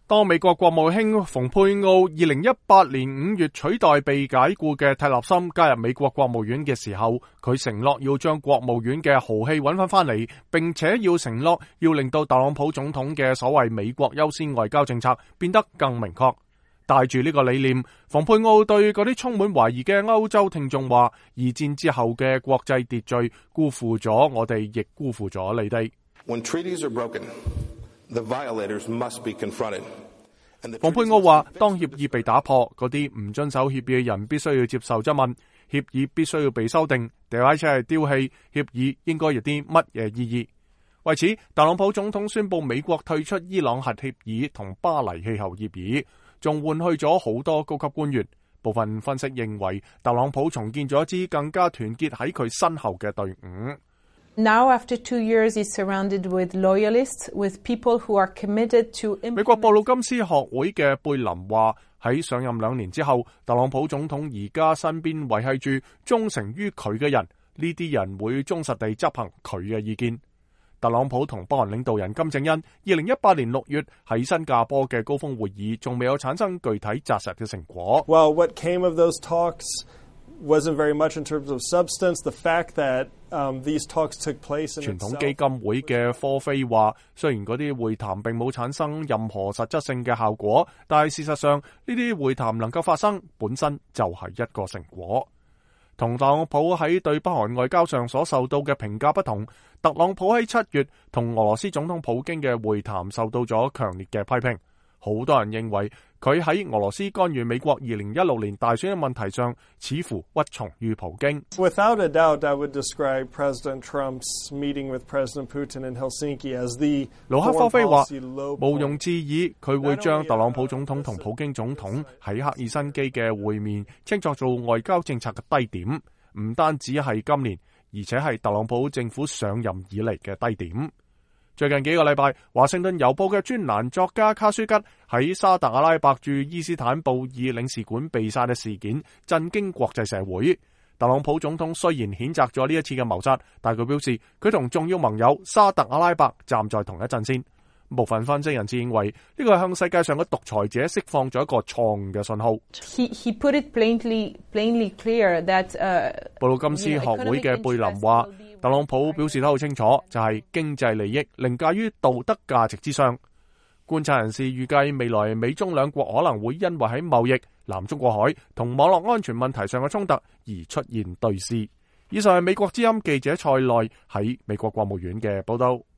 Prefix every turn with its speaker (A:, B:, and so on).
A: 當美國國務卿蓬佩奧2018年5月取代被解僱嘅蒂勒森加入美國國務院嘅時候，佢承諾要將國務院嘅豪氣揾返嚟，並且要承諾要令到特朗普總統嘅所謂美國優先外交政策變得更明確。帶住呢個理念，蓬佩奧對嗰啲充滿懷疑嘅歐洲聽眾話：二戰之後嘅國際秩序辜負咗我哋，亦辜負咗你哋。
B: When treaties are broken, the violators must be confronted.
A: 蓬佩奧話：當協議被打破，嗰啲唔遵守協議嘅人必須要接受質問，協議必須要被修訂，掉喺車係丟棄，協議應該有啲乜嘢意義？為此，特朗普總統宣布美國退出伊朗核協議同巴黎氣候協議，仲換去咗好多高級官員。部分分析認為，特朗普重建咗一支更加團結喺佢身後嘅隊伍。
C: Now, after 2 years, he's surrounded with loyalists, with people who are committed to.
A: 美國布魯金斯學會嘅貝林話：喺上任2年之後，特朗普總統而家身邊維繫住忠誠於佢嘅人，呢啲人會忠實地執行佢嘅意見。特朗普同北韓領導人金正恩2018年6月喺新加坡嘅高峰會議，仲未有產生具體紮實嘅成果。
D: Well, what came of those talks wasn't very much in terms of substance. The fact that these talks took place in
A: 傳統基金會嘅科菲話，雖然嗰啲會談並冇產生任何實質性嘅效果，但係事實上呢啲會談能夠發生，本身就係一個成果。同特朗普喺對北韓外交上所受到嘅評價不同，特朗普喺7月同俄羅斯總統普京嘅會談受到咗強烈嘅批評。好多人認為佢喺俄羅斯干預美國2016年大選嘅問題上，似乎屈從於普京。
D: Without a doubt, I would describe President Trump's meeting with President Putin in Helsinki as the
A: 盧克科菲話，
D: low
A: 毋庸置疑，佢會將特朗普總統同普京總統喺赫爾辛基嘅會面稱作做外交政策嘅低點，唔單止係今年，而且係特朗普政府上任以嚟嘅低點。最近幾個禮拜，華盛頓郵報嘅專欄作家卡舒吉喺沙特阿拉伯駐伊斯坦布爾領事館被殺嘅事件震驚國際社會。特朗普總統雖然譴責咗呢一次嘅謀殺，但佢表示佢同重要盟友沙特阿拉伯站在同一陣線。部分分析人士認為呢個係向世界上嘅獨裁者釋放咗一個錯誤嘅信號。
C: He put it plainly clear that
A: 布魯金斯學會嘅貝林話，特朗普表示得好清楚，就係經濟利益凌駕於道德價值之上。觀察人士預計未來美中兩國可能會因為喺貿易、南中國海同網絡安全問題上嘅衝突而出現對峙。以上係美國之音記者蔡內喺美國國務院嘅報道。